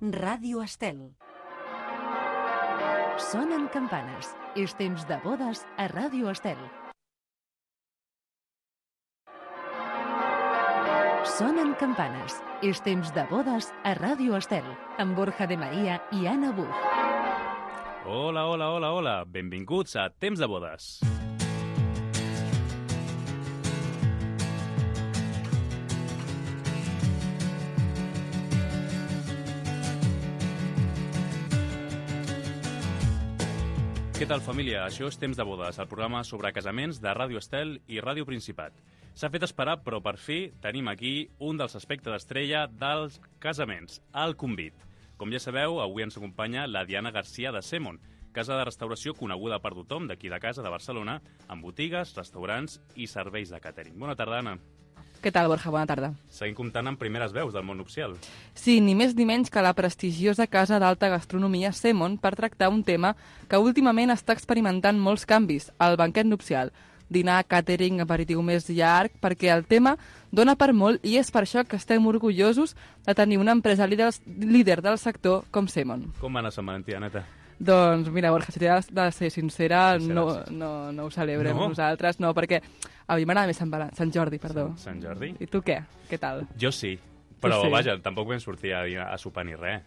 Ràdio Estel. Sonen campanes. És temps de bodes a Ràdio Estel. Sonen campanes. És temps de bodes a Ràdio Estel, amb Borja de Maria i Anna Buch. Hola, hola, hola, hola. Benvinguts a Temps de bodes. Què tal, família? Això és Temps de bodes, el programa sobre casaments de Ràdio Estel i Ràdio Principat. S'ha fet esperar, però per fi tenim aquí un dels aspectes estrella dels casaments, el convit. Com ja sabeu, avui ens acompanya la Diana Garcia de Semon, casa de restauració coneguda per tothom d'aquí de casa, de Barcelona, amb botigues, restaurants i serveis de càtering. Bona tarda, Anna. Què tal, Borja? Bona tarda. Seguim comptant amb primeres veus del món nupcial. Sí, ni més ni menys que la prestigiosa casa d'alta gastronomia Semon per tractar un tema que últimament està experimentant molts canvis, el banquet nupcial. Dinar, càtering, aperitiu més llarg, perquè el tema dona per molt i és per això que estem orgullosos de tenir una empresa líder del sector com Semon. Com va anar Sant Valentí, Aneta? Doncs mira, Borja, si t'he de ser sincera, no ho celebrem nosaltres, no, perquè a mi m'agrada més Sant Jordi, perdó. Sant Jordi? I tu què? Què tal? Jo sí, però sí. Vaja, tampoc vam sortir a sopar ni res.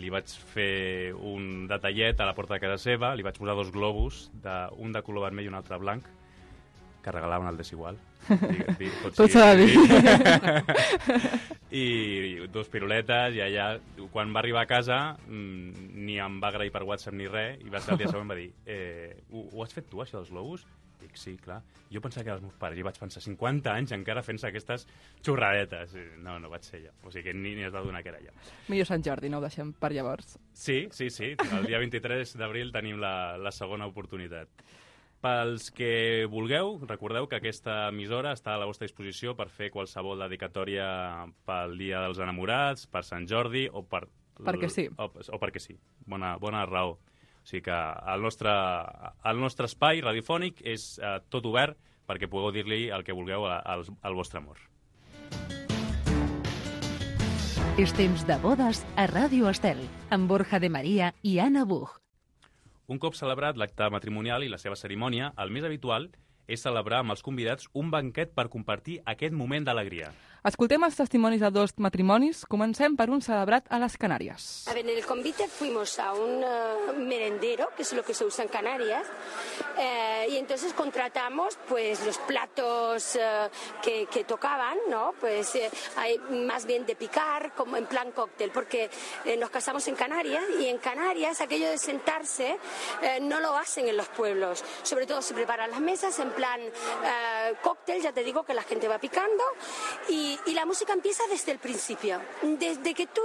Li vaig fer un detallet a la porta de casa seva, li vaig posar 2 globus, un de color vermell i un altre blanc, que regalaven el desigual. Tot s'ha de dir. I 2 piruletes, i allà, quan va arribar a casa, ni em va agrair per WhatsApp ni res, i va ser el dia següent, va dir, ho has fet tu, això dels globus? Dic, sí, clar. Jo pensava que eren els meus pares, i vaig pensar, 50 anys encara fent-se aquestes xorradetes. No vaig ser jo. O sigui que ni es va donar que era jo. Millor Sant Jordi, no ho deixem per llavors. Sí. El dia 23 d'abril tenim la segona oportunitat. Pels que vulgueu, recordeu que aquesta emissora està a la vostra disposició per fer qualsevol dedicatòria pel Dia dels Enamorats, per Sant Jordi o per... Perquè sí. O perquè sí. Bona raó. O sigui que el nostre espai radiofònic és tot obert perquè pugueu dir-li el que vulgueu al vostre amor. És temps de bodes a Ràdio Estel, amb Borja de Maria i Anna Buch. Un cop celebrat l'acte matrimonial i la seva cerimònia, el més habitual és celebrar amb els convidats un banquet per compartir aquest moment d'alegria. Escoltem els testimonis de 2 matrimonis. Comencem per un celebrat a les Canàries. A ver, en el convite fuimos a un merendero, que es lo que se usa en Canarias, y entonces contratamos pues los platos que tocaban, ¿no? Pues hay más bien de picar, como en plan cóctel, porque nos casamos en Canarias, y en Canarias aquello de sentarse no lo hacen en los pueblos. Sobre todo se preparan las mesas en plan cóctel, ya te digo que la gente va picando, y la música empieza desde el principio. Desde que tú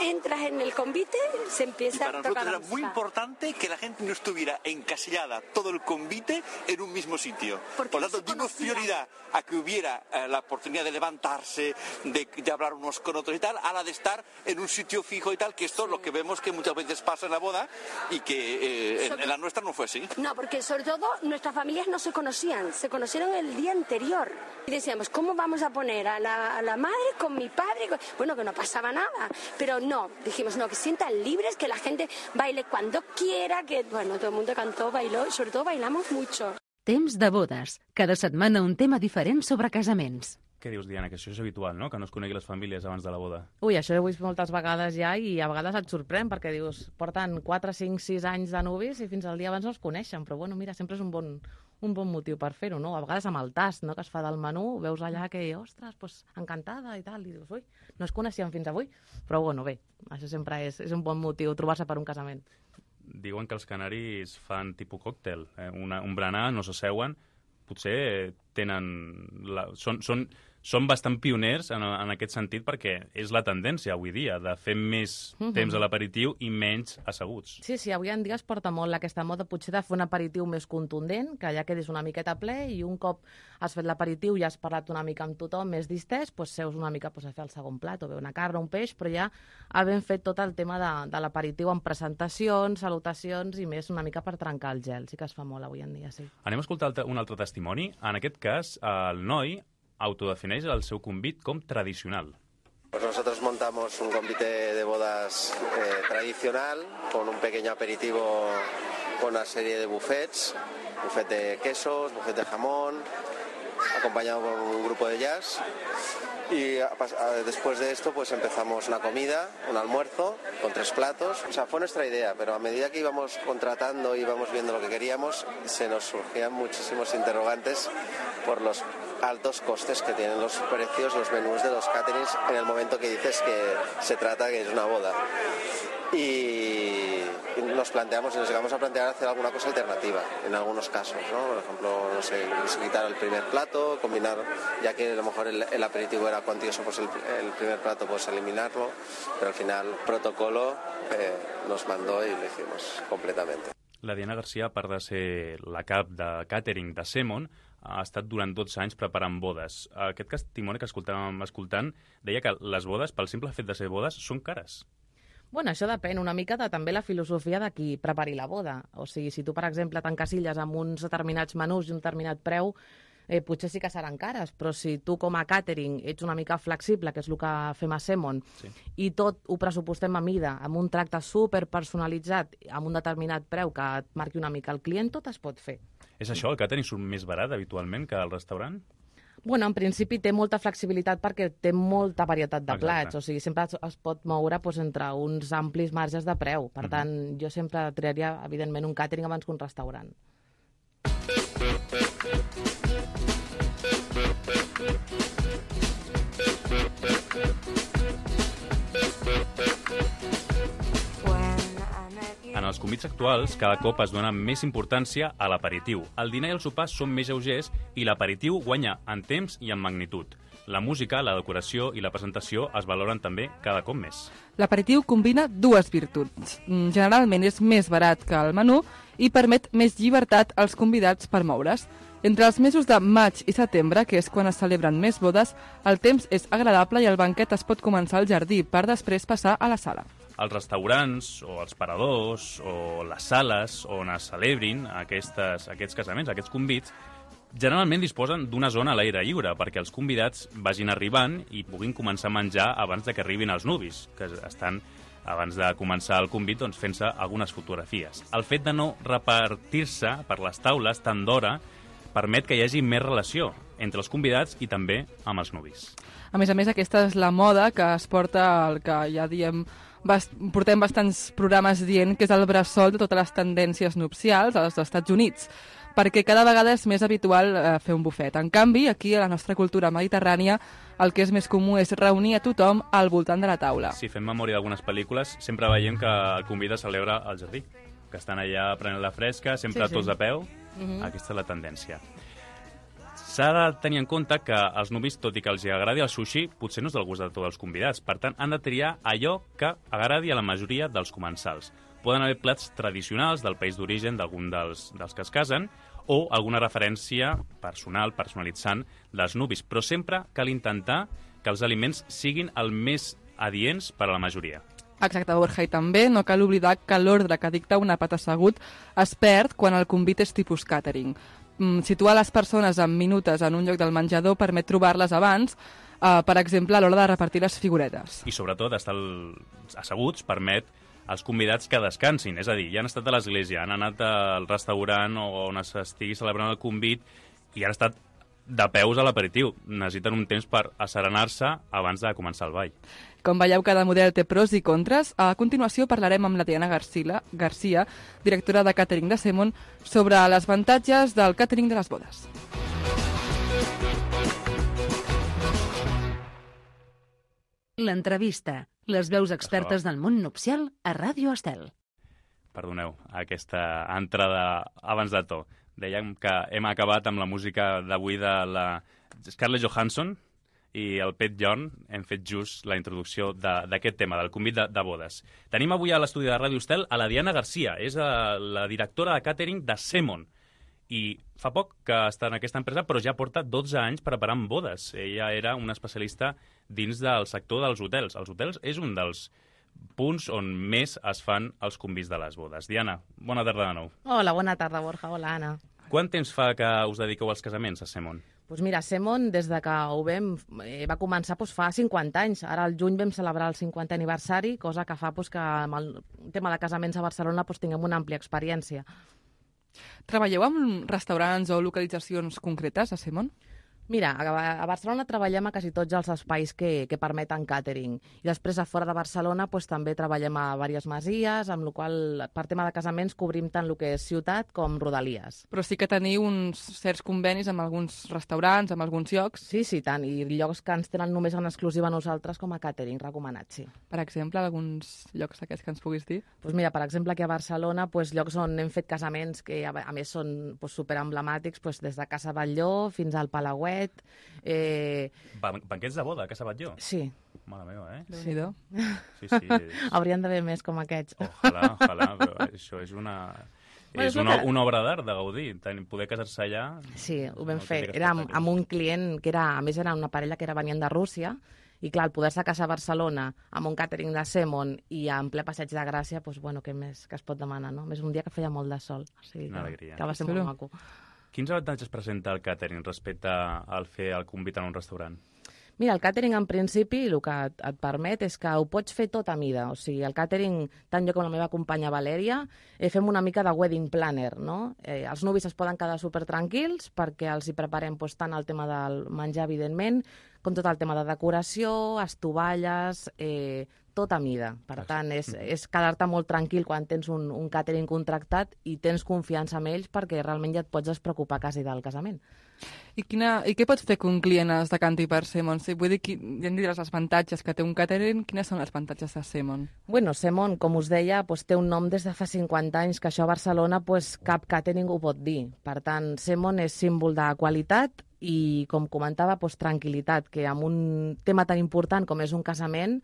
entras en el convite, se empieza a tocar la música. Y para nosotros era muy importante que la gente no estuviera encasillada todo el convite en un mismo sitio. Por lo tanto, dimos prioridad a que hubiera la oportunidad de levantarse, de hablar unos con otros y tal, a la de estar en un sitio fijo y tal, que esto es lo que vemos que muchas veces pasa en la boda y que en la nuestra no fue así. No, porque sobre todo nuestras familias no se conocieron el día anterior. Y decíamos, ¿cómo vamos a poner a la madre con mi padre? Bueno, que no pasaba nada, pero no, dijimos, no, que sientan libres, que la gente baile cuando quiera, que, bueno, todo el mundo cantó, bailó, y sobre todo bailamos mucho. Temps de bodes. Cada setmana un tema diferent sobre casaments. Què dius, Diana, que això és habitual, no?, que no es conegui les famílies abans de la boda. Ui, això ho he vist moltes vegades ja i a vegades et sorprèn perquè dius, porten 4, 5, 6 anys de nuvis i fins al dia abans no es coneixen, però bueno, mira, sempre és un bon motiu per fer-ho, no? A vegades amb el tast, no?, que es fa del menú, veus allà que, ostres, pues, encantada i tal, i dius, ui, no es coneixien fins avui, però bueno, bé, això sempre és un bon motiu, trobar-se per un casament. Diuen que els canaris fan tipus còctel, un berenar, no s'asseuen, potser són bastant pioners en aquest sentit perquè és la tendència avui dia de fer més temps a l'aperitiu i menys asseguts. Sí, avui en dia es porta molt aquesta moda potser de fer un aperitiu més contundent, que ja quedis una miqueta ple i un cop has fet l'aperitiu i has parlat una mica amb tothom més distès, doncs seus una mica a fer el segon plat, o bé una carn o un peix, però ja havent fet tot el tema de l'aperitiu amb presentacions, salutacions i més una mica per trencar el gel. Sí que es fa molt avui en dia, sí. Anem a escoltar un altre testimoni. En aquest cas, el noi autodefineix el seu convit com tradicional. Pues nosotros montamos un convite de bodas tradicional con un pequeño aperitivo con una serie de buffets, buffet de quesos, buffet de jamón, acompañado por un grupo de jazz. Y después de esto pues empezamos una comida, un almuerzo con 3 platos. O sea, fue nuestra idea, pero a medida que íbamos contratando y íbamos viendo lo que queríamos, se nos surgían muchísimos interrogantes por los altos costes que tienen los precios, los menús de los caterings en el momento que dices que se trata que es una boda. Y nos llegamos a plantear hacer alguna cosa alternativa en algunos casos, ¿no? Por ejemplo, no sé, quitar el primer plato, combinar, ya que a lo mejor el aperitivo era cuantioso, pues el primer plato pues eliminarlo, pero al final el protocolo nos mandó y lo hicimos completamente. La Diana Garcia, a part de ser la cap de càtering de Semon, ha estat durant 12 anys preparant bodes. Aquest testimoni que escoltàvem escoltant deia que les bodes, pel simple fet de ser bodes, són cares. Bueno, això depèn una mica de també la filosofia de qui prepari la boda. O sigui, si tu, per exemple, t'encasilles amb uns determinats menús i un determinat preu, potser sí que seran cares, però si tu com a càtering ets una mica flexible, que és el que fem a Semon, sí, i tot ho pressupostem a mida, amb un tracte superpersonalitzat, amb un determinat preu que et marqui una mica el client, tot es pot fer. És això, el càtering surt més barat habitualment que el restaurant? Bueno, en principi té molta flexibilitat perquè té molta varietat de plats, o sigui, sempre es pot moure entre uns amplis marges de preu. Per tant, jo sempre triaria, evidentment, un càtering abans que un restaurant. En els convits actuals, cada cop es dona més importància a l'aperitiu. El dinar i el sopar són més lleugers i l'aperitiu guanya en temps i en magnitud. La música, la decoració i la presentació es valoren també cada cop més. L'aperitiu combina 2 virtuts. Generalment és més barat que el menú i permet més llibertat als convidats per moure's. Entre els mesos de maig i setembre, que és quan es celebren més bodes, el temps és agradable i el banquet es pot començar al jardí per després passar a la sala. Els restaurants, o els paradors, o les sales on es celebrin aquests casaments, aquests convits, generalment disposen d'una zona a l'aire lliure perquè els convidats vagin arribant i puguin començar a menjar abans de que arribin els nuvis, que estan, abans de començar el convit, doncs, fent-se algunes fotografies. El fet de no repartir-se per les taules tant d'hora permet que hi hagi més relació entre els convidats i també amb els nuvis. A més, aquesta és la moda que es porta, el que ja diem, portem bastants programes dient que és el bressol de totes les tendències nupcials als Estats Units, perquè cada vegada és més habitual fer un bufet. En canvi, aquí a la nostra cultura mediterrània, el que és més comú és reunir a tothom al voltant de la taula. Si fem memòria d'algunes pel·lícules, sempre veiem que el convida a celebrar al jardí, que estan allà prenent la fresca, sempre tots de peu. Aquesta és la tendència. S'ha de tenir en compte que els nuvis, tot i que els agradi el sushi, potser no és del gust de tots els convidats. Per tant, han de triar allò que agradi a la majoria dels comensals. Poden haver plats tradicionals del país d'origen d'algun dels que es casen o alguna referència personal, personalitzant dels nuvis. Però sempre cal intentar que els aliments siguin el més adients per a la majoria. Exacte, Borja, i també no cal oblidar que l'ordre que dicta un àpat assegut es perd quan el convit és tipus càtering. Situar les persones en minutes en un lloc del menjador permet trobar-les abans, per exemple, a l'hora de repartir les figuretes. I sobretot, estar asseguts permet als convidats que descansin, és a dir, ja han estat a l'església, han anat al restaurant o on s'estigui celebrant el convit i han estat de peus a l'aperitiu. Necessiten un temps per asserenar-se abans de començar el ball. Com veieu, cada model té pros i contres. A continuació parlarem amb la Diana Garcia, directora de càtering de Semon, sobre els avantatges del càtering de les bodes. L'entrevista. Les veus expertes del món nupcial a Ràdio Estel. Perdoneu, aquesta entrada abans de to. Dèiem que hem acabat amb la música d'avui de la Scarlett Johansson i el Pet Yorn. Hem fet just la introducció d'aquest tema, del convit de bodes. Tenim avui a l'estudi de Ràdio Estel a la Diana Garcia, és la directora de càtering de Semon. I fa poc que està en aquesta empresa, però ja porta 12 anys preparant bodes. Ella era una especialista dins del sector dels hotels. Els hotels és un dels punts on més es fan els convits de les bodes. Diana, bona tarda de nou. Hola, bona tarda, Borja. Hola, Anna. Quant temps fa que us dediqueu als casaments a Semon? Doncs mira, Semon, des de que ho va començar fa 50 anys. Ara al juny vam celebrar el 50è aniversari, cosa que fa que amb el tema de casaments a Barcelona tinguem una àmplia experiència. Treballeu amb restaurants o localitzacions concretes a Semon? Mira, a Barcelona treballem a quasi tots els espais que permeten càtering. I després, a fora de Barcelona, també treballem a diverses masies, amb la qual per tema de casaments cobrim tant el que és ciutat com rodalies. Però sí que teniu uns certs convenis amb alguns restaurants, amb alguns llocs. Sí, tant. I llocs que ens tenen només en exclusiva a nosaltres com a càtering recomanat, sí. Per exemple, alguns llocs d'aquests que ens puguis dir? Doncs mira, per exemple, aquí a Barcelona, llocs on hem fet casaments que a més són superemblemàtics, des de Casa Batlló fins al Palauet. Banquets de boda a Casa Batlló? Sí. Mare meva, eh? Déu-n'hi-do. Sí. Haurien d'haver més com aquests. Ojalà, però això és una obra d'art de Gaudí. Poder casar-se allà... Sí, ho vam fer. Era amb un client que a més era una parella que venien de Rússia, i clar, el poder-se casar a Barcelona amb un càtering de Semon i en ple Passeig de Gràcia, què més que es pot demanar, no? Més un dia que feia molt de sol. O sigui que va ser molt maco. Quins avantatges presenta el càtering respecte al fer el convit en un restaurant? Mira, el càtering, en principi, el que et permet és que ho pots fer tot a mida. O sigui, el càtering, tant jo com la meva companya Valèria, fem una mica de wedding planner, no? Els nuvis es poden quedar supertranquils perquè els hi preparem tant el tema del menjar, evidentment, com tot el tema de decoració, estovalles, tot a mida. Per tant, és quedar-te molt tranquil quan tens un càtering contractat i tens confiança en ells perquè realment ja et pots despreocupar quasi del casament. I què pots fer que un client es decanti per Semon? Vull dir, ja em diràs els avantatges que té un càtering. Quines són els avantatges de Semon? Bueno, Semon, com us deia, té un nom des de fa 50 anys, que això a Barcelona cap càtering ho pot dir. Per tant, Semon és símbol de qualitat i, com comentava, tranquil·litat, que amb un tema tan important com és un casament,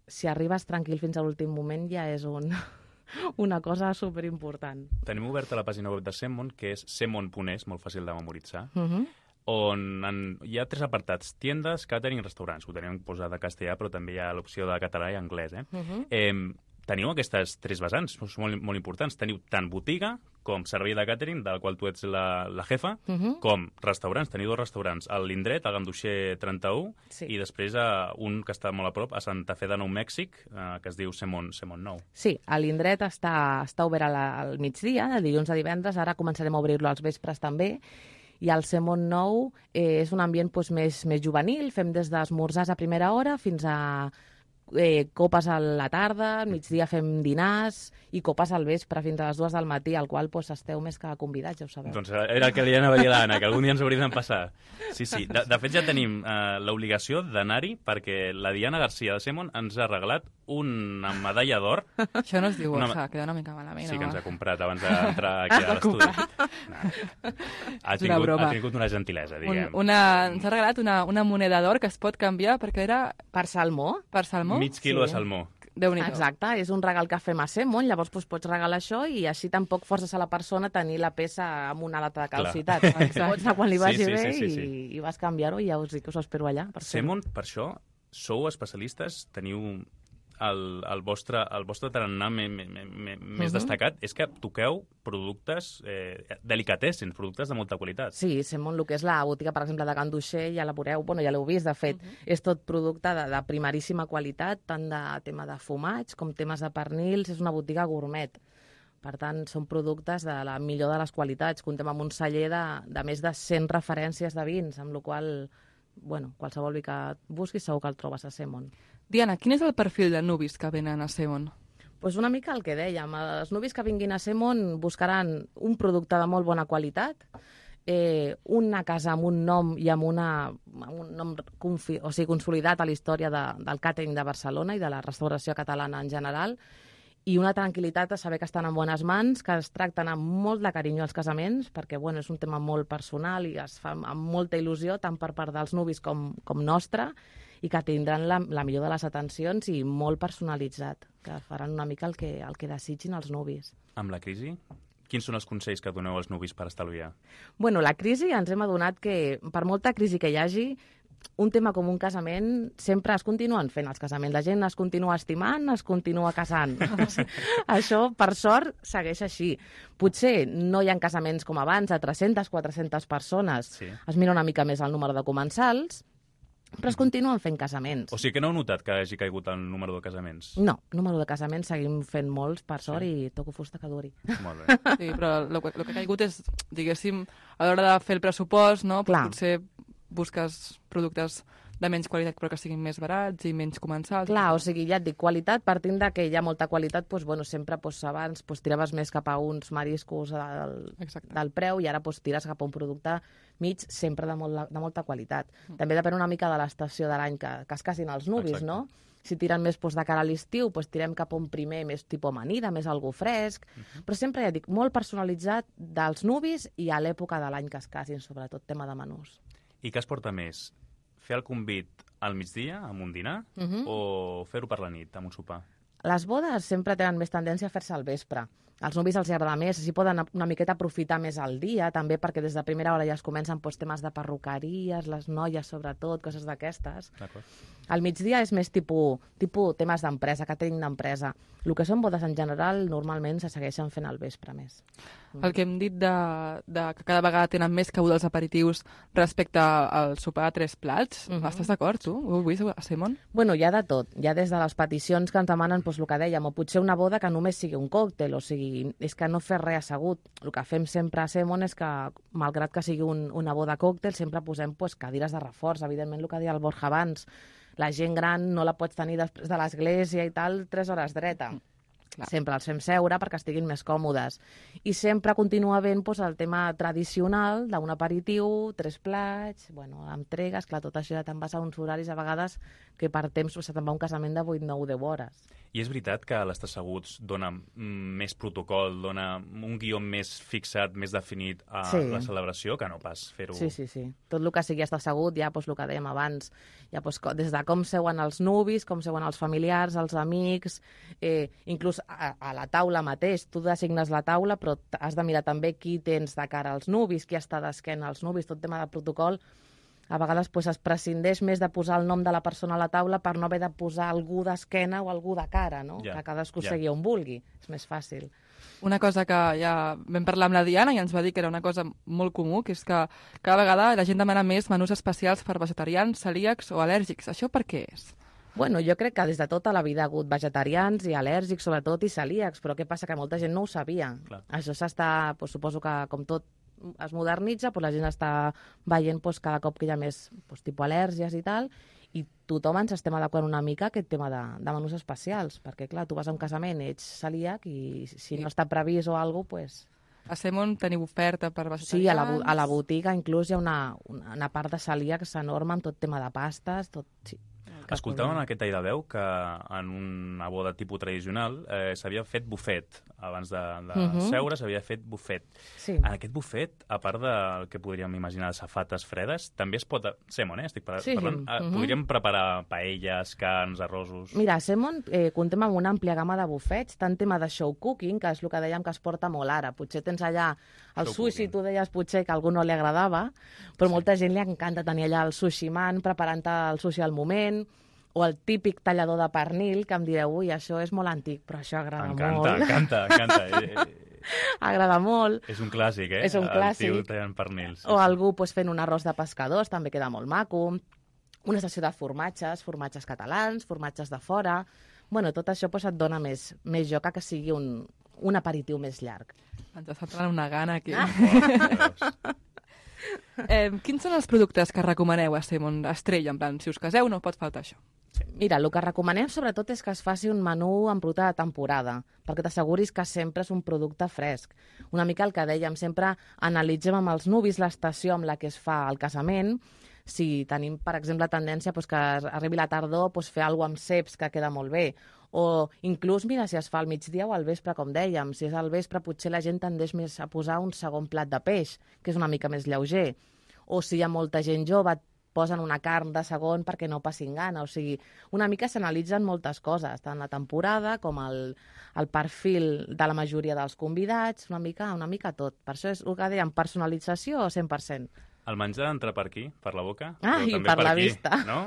si arribes tranquil fins a l'últim moment ja és una cosa superimportant. Tenim oberta la pàgina web de Semon, que és semon.es, molt fàcil de memoritzar, on hi ha 3 apartats: tiendes, càtering i restaurants. Ho tenim posat en castellà, però també hi ha l'opció de català i anglès. Teniu aquestes 3 vessants, són molt importants. Teniu tant botiga com servei de càtering, del qual tu ets la jefa, com restaurants. Teniu 2 restaurants, a l'Indret, a Ganduxer 31, i després un que està molt a prop, a Santa Fe de Nou Mèxic, que es diu Semon Nou. Sí, a l'Indret està obert al migdia, de dilluns a divendres. Ara començarem a obrir-lo als vespres també. I el Semon Nou és un ambient més juvenil. Fem des d'esmorzars a primera hora fins a copes a la tarda, al migdia fem dinars i copes al vespre fins a les 2 del matí, al qual esteu més que convidats, ja ho sabeu. Doncs era el que li anava a dir a l'Anna, que algun dia ens hauria de passar. Sí. De fet, ja tenim l'obligació d'anar-hi perquè la Diana Garcia de Semon ens ha regalat una medalla d'or. Això no es diu, queda una mica malament. Sí, que ens ha comprat abans d'entrar aquí a l'estudi. Ha tingut una gentilesa, diguem. Ens ha regalat una moneda d'or que es pot canviar perquè era... Per salmó. Per salmó? Mig quilo de salmó. Exacte, és un regal que fem a Semon, llavors pots regalar això i així tampoc forces a la persona tenir la peça amb una data de caducitat. Pots anar quan li vagi bé i vas canviar-ho i ja us dic que us espero allà. Semon, per això, sou especialistes, teniu el vostre tarannà més destacat és que toqueu productes delicatessens, productes de molta qualitat. Sí, Semon, el que és la botiga, per exemple, de Ganduxer, ja la veureu, ja l'heu vist, de fet, és tot producte de primeríssima qualitat, tant de tema de fumats com temes de pernils, és una botiga gourmet. Per tant, són productes de la millor de les qualitats. Comptem amb un celler de més de 100 referències de vins, amb la qual qualsevol vi que busquis segur que el trobes a Semon. Diana, quin és el perfil de nuvis que venen a Semon? Doncs una mica el que dèiem. Els nuvis que vinguin a Semon buscaran un producte de molt bona qualitat, una casa amb un nom i amb un nom consolidat a la història del càtering de Barcelona i de la restauració catalana en general, i una tranquil·litat de saber que estan en bones mans, que es tracten amb molt de carinyo als casaments, perquè és un tema molt personal i es fa amb molta il·lusió, tant per part dels nuvis com nostra, i que tindran la millor de les atencions i molt personalitzat, que faran una mica el que desitgin els nuvis. Amb la crisi, quins són els consells que doneu als nuvis per estalviar? La crisi ens hem adonat que, per molta crisi que hi hagi, un tema com un casament sempre es continuen fent els casaments. La gent es continua estimant, es continua casant. Això, per sort, segueix així. Potser no hi ha casaments com abans, de 300, 400 persones. Sí. Es mira una mica més el número de comensals, però es continuen fent casaments. O sigui que no heu notat que hagi caigut el número de casaments? No, número de casaments seguim fent molts, per sort, i toco fusta que duri. Molt bé. Sí, però el que ha caigut és, diguéssim, a l'hora de fer el pressupost, no? Clar. Potser busques productes de menys qualitat però que siguin més barats i menys comensals. Clar, o sigui, ja et dic, qualitat, partint de que hi ha molta qualitat, doncs, bueno, sempre abans tiraves més cap a uns mariscos del preu i ara tires cap a un producte mig sempre de molta qualitat. També depèn una mica de l'estació de l'any que es casin els nuvis, no? Si tiren més de cara a l'estiu, tirem cap a un primer més tipus amanida, més algú fresc, però sempre, ja dic, molt personalitzat dels nuvis i a l'època de l'any que es casin, sobretot tema de menús. I què es porta més? Fer el convit al migdia, amb un dinar, o fer-ho per la nit, amb un sopar? Les bodes sempre tenen més tendència a fer-se al vespre. Als nuvis els agrada més, així poden una miqueta aprofitar més el dia, també perquè des de primera hora ja es comencen temes de perruqueries, les noies sobretot, coses d'aquestes. Al migdia és més tipus temes d'empresa, catering d'empresa. El que són bodes en general normalment se segueixen fent al vespre més. El que hem dit de que cada vegada tenen més cabuda els aperitius respecte al sopar de 3 plats, estàs d'acord, tu? Ho has vist, Simon? Bueno, hi ha de tot. Hi ha des de les peticions que ens demanen, el que dèiem, o potser una boda que només sigui un còctel, o sigui, és que no fer res assegut. El que fem sempre a Semon és que, malgrat que sigui una boda còctel, sempre posem cadires de reforç. Evidentment, el que deia el Borja abans, la gent gran no la pots tenir després de l'església i tal 3 hores dreta. Sempre els fem seure perquè estiguin més còmodes. I sempre continua havent el tema tradicional d'un aperitiu, 3 plats, entregues, clar, tot això ja te'n vas a uns horaris a vegades que per temps se'n va un casament de 8, 9, 10 hores. I és veritat que l'estar asseguts dona més protocol, dona un guió més fixat, més definit a la celebració, que no pas fer-ho... Sí. Tot el que sigui estar assegut, ja el que dèiem abans, ja des de com seuen els nuvis, com seuen els familiars, els amics, inclús a la taula mateix. Tu designes la taula, però has de mirar també qui tens de cara als nuvis, qui està d'esquena als nuvis, tot tema de protocol. A vegades es prescindeix més de posar el nom de la persona a la taula per no haver de posar algú d'esquena o algú de cara, no? Que cadascú segui on vulgui. És més fàcil. Una cosa que ja vam parlar amb la Diana i ens va dir que era una cosa molt comú, que és que cada vegada la gent demana més menús especials per vegetarians, celíacs o al·lèrgics. Això per què és? Bueno, jo crec que des de tota la vida ha hagut vegetarians i al·lèrgics, sobretot, i celíacs, però què passa? Que molta gent no ho sabia. Clar. Això s'està, suposo que com tot es modernitza, la gent està veient cada cop que hi ha més tipus al·lèrgies i tal, i tothom ens estem adequant una mica a aquest tema de menús especials, perquè clar, tu vas a un casament, ets celíac i si no està previst o alguna cosa, A Semon teniu oferta per vegetarians? Sí, a la botiga inclús hi ha una part de celíacs enorme amb tot tema de pastes, tot... Sí. Escoltàvem aquest tall de veu que en una boda tipus tradicional s'havia fet bufet. Abans de seure s'havia fet bufet. Sí. En aquest bufet, a part del que podríem imaginar de safates fredes, també es pot... Semon, estic parlant. Podríem preparar paelles, carns, arrossos... Mira, a Semon comptem amb una àmplia gamma de bufets, tant tema de show cooking, que és el que dèiem que es porta molt ara. Potser tens allà el sushi, tu deies potser que a algú no li agradava, però molta gent li encanta tenir allà el sushi man, preparant el sushi al moment, o el típic tallador de pernil, que em direu, ui, això és molt antic, però això agrada molt. Encanta. Agrada molt. És un clàssic, eh? És un clàssic. El tio tallant pernils. O algú fent un arròs de pescadors, també queda molt maco. Una sessió de formatges catalans, formatges de fora... Bueno, tot això et dona més joc que sigui un aperitiu més llarg. Ens està entrant una gana aquí. Quins són els productes que recomaneu a Semon Estrella? En plan, si us caseu no pot faltar això. Mira, el que recomanem sobretot és que es faci un menú amb producte de temporada, perquè t'asseguris que sempre és un producte fresc. Una mica el que dèiem, sempre analitzem amb els nuvis l'estació amb la que es fa el casament. Si tenim, per exemple, tendència que arribi la tardor, fer alguna cosa amb ceps que queda molt bé. O inclús, mira, si es fa al migdia o al vespre, com dèiem. Si és al vespre, potser la gent tendeix més a posar un segon plat de peix, que és una mica més lleuger. O si hi ha molta gent jove, posen una carn de segon perquè no passin gana. O sigui, una mica s'analitzen moltes coses, tant la temporada com el perfil de la majoria dels convidats, una mica tot. Per això és el que dèiem, personalització 100%. El menjar entra per aquí, per la boca, I però també per la aquí, vista. No?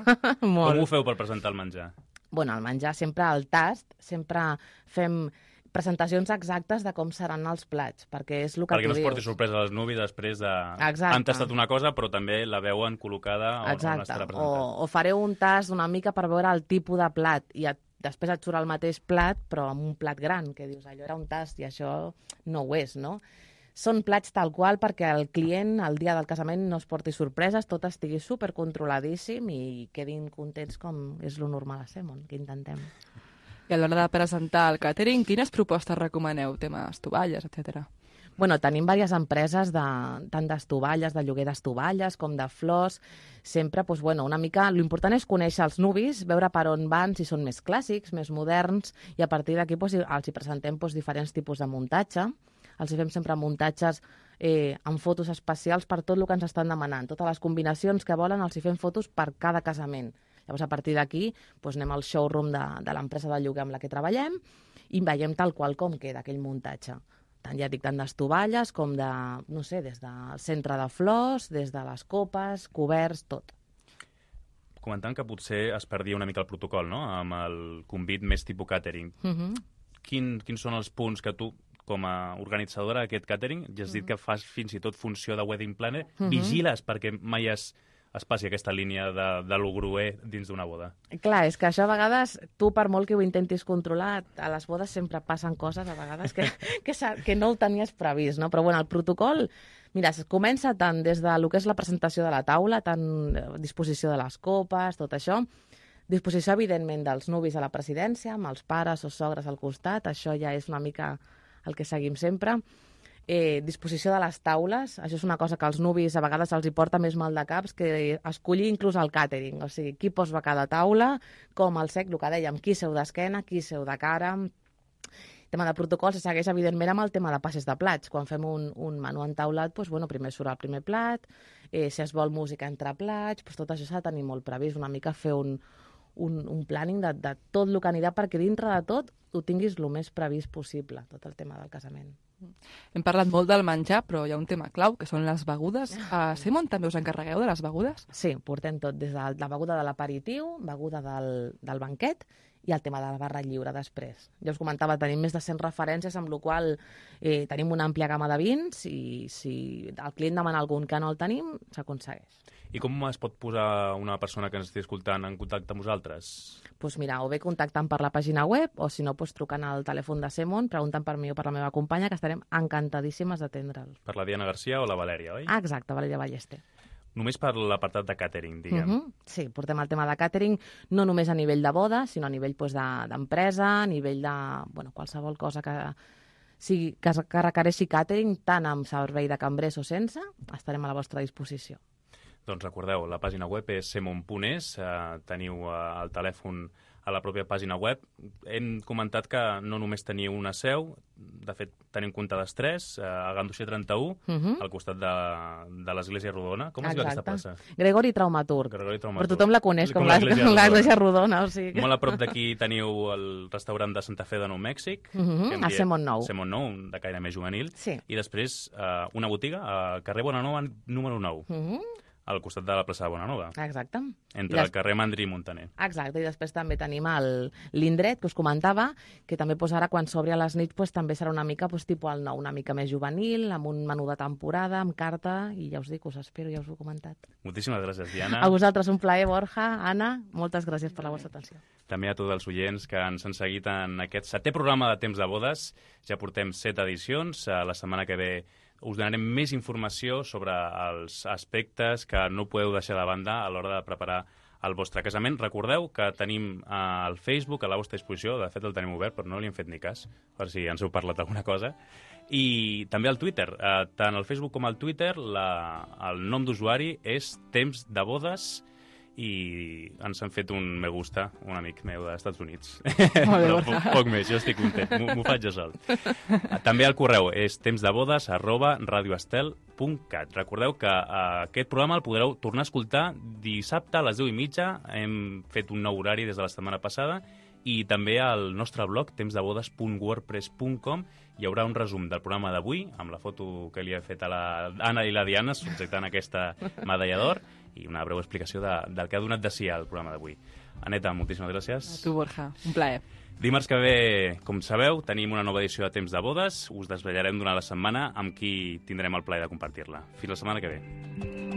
Molt. Com ho feu per presentar el menjar? Bueno, el menjar sempre al tast, sempre fem presentacions exactes de com seran els plats, perquè és el que Perquè tu no es porti dius. sorpresa als nuvis després de... Exacte. Han tastat una cosa, però també la veuen col·locada on estarà presentat. O fareu un tast una mica per veure el tipus de plat i després et surt el mateix plat, però amb un plat gran, que dius, allò era un tast i això no ho és, no? Són plats tal qual perquè el client, el dia del casament, no es porti sorpreses, tot estigui supercontroladíssim i quedin contents com és lo normal a Semon, que intentem. I a l'hora de presentar el càtering, quines propostes recomaneu? Temes tovalles, etc. Bueno, tenim diverses empreses, tant d'estovalles, de lloguer d'estovalles, com de flors. Sempre, doncs, bueno, una mica... L'important és conèixer els nuvis, veure per on van, si són més clàssics, més moderns, i a partir d'aquí doncs, els hi presentem doncs, diferents tipus de muntatge. Els fem sempre muntatges amb fotos especials per tot el que ens estan demanant. Totes les combinacions que volen els hi fem fotos per cada casament. Llavors, a partir d'aquí, doncs, anem al showroom de l'empresa de lloguer amb la que treballem i veiem tal qual com queda aquell muntatge. Tant, ja dic, tant d'estovalles com de, no sé, des del centre de flors, des de les copes, coberts, tot. Comentant que potser es perdia una mica el protocol, no?, amb el convit més tipus catering. Quins són els punts que tu, com a organitzadora d'aquest catering, ja has dit que fas fins i tot funció de wedding planner, vigiles perquè mai es passi aquesta línia de lo gruer dins d'una boda? Clar, és que això a vegades, tu per molt que ho intentis controlar, a les bodes sempre passen coses a vegades que no ho tenies previst, no? Però bueno, el protocol, mira, es comença tant des de lo que és la presentació de la taula, tant disposició de les copes, tot això, disposició, evidentment, dels nuvis a la presidència, amb els pares o sogres al costat, això ja és una mica el que seguim sempre. Disposició de les taules, això és una cosa que als nuvis a vegades els hi porta més mal de caps, que escollir inclús el càtering, o sigui, qui posa a cada taula, com el sec, el que dèiem, qui seu d'esquena, qui seu de cara. El tema de protocol se segueix, evidentment, amb el tema de passes de plats. Quan fem un menú entaulat, doncs, bueno, primer surt el primer plat, si es vol música entre plats, doncs, tot això s'ha de tenir molt previst, una mica fer un planning de tot el que anirà, perquè dintre de tot ho tinguis el més previst possible, tot el tema del casament. Hem parlat molt del menjar, però hi ha un tema clau, que són les begudes. A Semon també us encarregueu de les begudes? Sí, portem tot, des de la beguda de l'aperitiu, beguda del banquet i el tema de la barra lliure després. Ja us comentava, tenim més de 100 referències, amb la qual tenim una àmplia gamma de vins i si el client demana algun que no el tenim, s'aconsegueix. I com es pot posar una persona que ens estigui escoltant en contacte amb vosaltres? Doncs mira, o bé contactant per la pàgina web, o si no, trucant al telèfon de Semon, preguntant per mi o per la meva companya, que estarem encantadíssimes d'atendre'ls. Per la Diana Garcia o la Valèria, oi? Ah, exacte, Valèria Ballester. Només per l'apartat de catering, diguem. Sí, portem el tema de catering, no només a nivell de boda, sinó a nivell d'empresa, a nivell de qualsevol cosa que requereixi catering, tant amb servei de cambrers o sense, estarem a la vostra disposició. Doncs recordeu, la pàgina web és semon.es, teniu el telèfon a la pròpia pàgina web. Hem comentat que no només teniu una seu, de fet tenim comptades 3, a Ganduxer 31, al costat de l'Església Rodona. Com es diu aquesta plaça? Gregori Traumaturg. Però tothom la coneix com l'Església Rodona. O sigui que... Molt a prop d'aquí teniu el restaurant de Santa Fe de Nou Mèxic, a Semon Nou. Semon Nou, de caire més juvenil. Sí. I després una botiga al carrer Bonanova número 9. Al costat de la plaça de Bonanova. Exacte. Entre el carrer Mandri i Montaner. Exacte, i després també tenim l'indret, que us comentava, que també ara, quan s'obri a les nits, també serà una mica tipus el nou, una mica més juvenil, amb un menú de temporada, amb carta, i ja us dic, us espero, ja us ho he comentat. Moltíssimes gràcies, Diana. A vosaltres un plaer, Borja, Anna, moltes gràcies per la vostra atenció. També a tots els oients que ens han seguit en aquest 7è programa de Temps de Bodes. Ja portem 7 edicions. La setmana que ve us donarem més informació sobre els aspectes que no podeu deixar de banda a l'hora de preparar el vostre casament. Recordeu que tenim el Facebook a la vostra disposició, de fet el tenim obert, però no li hem fet ni cas, per si ens heu parlat alguna cosa. I també el Twitter, tant el Facebook com el Twitter, el nom d'usuari és Temps de Bodes, i ens han fet un me gusta, un amic meu dels Estats Units. Però poc més, jo estic content, m'ho faig jo sol. També el correu és temsdebodes@radioestel.cat. Recordeu que aquest programa el podreu tornar a escoltar dissabte a les 10:30. Hem fet un nou horari des de la setmana passada i també al nostre blog tempsdebodes.wordpress.com hi haurà un resum del programa d'avui amb la foto que li he fet a l'Anna i la Diana subjectant aquesta medalla d'or i una breu explicació del que ha donat de si al programa d'avui. Aneta, moltíssimes gràcies. A tu, Borja. Un plaer. Dimarts que ve, com sabeu, tenim una nova edició de Temps de Bodes. Us desvetllarem durant la setmana amb qui tindrem el plaer de compartir-la. Fins la setmana que ve.